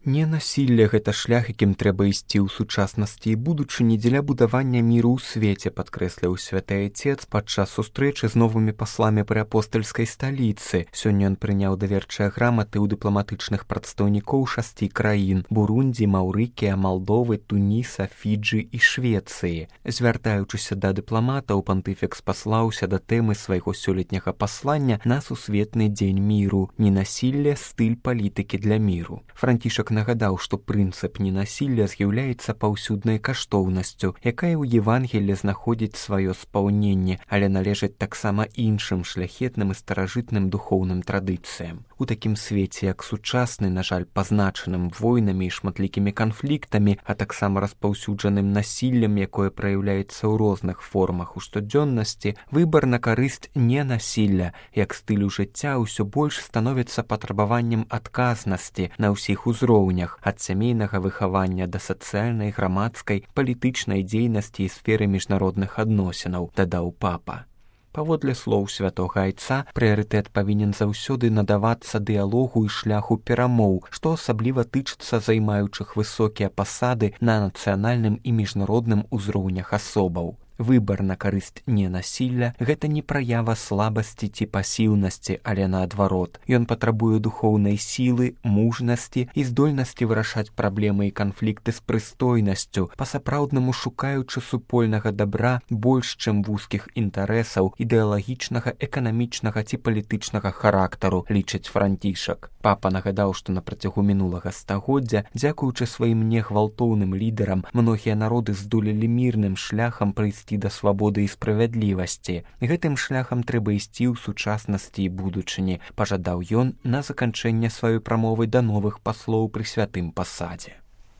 Ненасілле гэта шлях, якім трэба ісці ў сучаснасці і будучыні дзеля будавання міру ў свеце, падкрэсліў святы Айцец падчас сустрэчы з новымі пасламі пры апостальскай сталіцы. Сёння ён прыняў даверчыя граматы ў дыпламатычных прадстаўнікоў 6 краін: Бурундзі, Маўрыкія, Малдовы, Туніса, Фіджы і Швецыі. Звяртаючыся да дыпламатаў, пантыфікс паслаўся да тэмы свайго сёлетняга паслання на сусветны дзень міру «Ненасілле. Стыль палітыкі для міру». Францішак нагадаў, што прынцып ненасілля з'яўляецца паўсюднай каштоўнасцю, якая ў Евангеллі знаходзіць сваё спаўненне, але належыць таксама іншым шляхетным і старажытным духоўным традыцыям. У такім свеце, як сучасны, на жаль, пазначаным войнамі і шматлікімі канфліктамі, а таксама распаўсюджаным насіллем, якое праяўляецца ў розных формах у штодзённасці, выбар на карысць ненасілля, як стылю жыцця ўсё больш становіцца патрабаваннем адказнасці на ўсіх узроўнях, ад сямейнага выхавання да сацыяльнай, грамадскай, палітычнай дзейнасці і сферы міжнародных адносінаў, дадаў папа. Паводле слоў святога Айца, прыярытэт павінен заўсёды надавацца дыялогу і шляху перамоў, што асабліва тычыцца займаючых высокія пасады на нацыянальным і міжнародным узроўнях асобаў. Выбар на карысць ненасілля – гэта не праява слабасці ці пасіўнасці, але наадварот. Ён патрабуе духоўнай сілы, мужнасці і здольнасці вырашаць праблемы і канфлікты з прыстойнасцю, па-сапраўднаму шукаючы супольнага дабра больш, чым вузкіх інтарэсаў ідэалагічнага, эканамічнага ці палітычнага характару, лічыць Францішак. Папа нагадаў, што на працягу мінулага стагоддзя, дзякуючы сваім негвалтоўным лідарам, многія народы здолелі мірным шляхам прыйсці да свабоды і справядлівасці. Гэтым шляхам трэба ісці ў сучаснасці і будучыні, пажадаў ён на заканчэнне сваёй прамовы да новых паслоў пры святым пасадзе.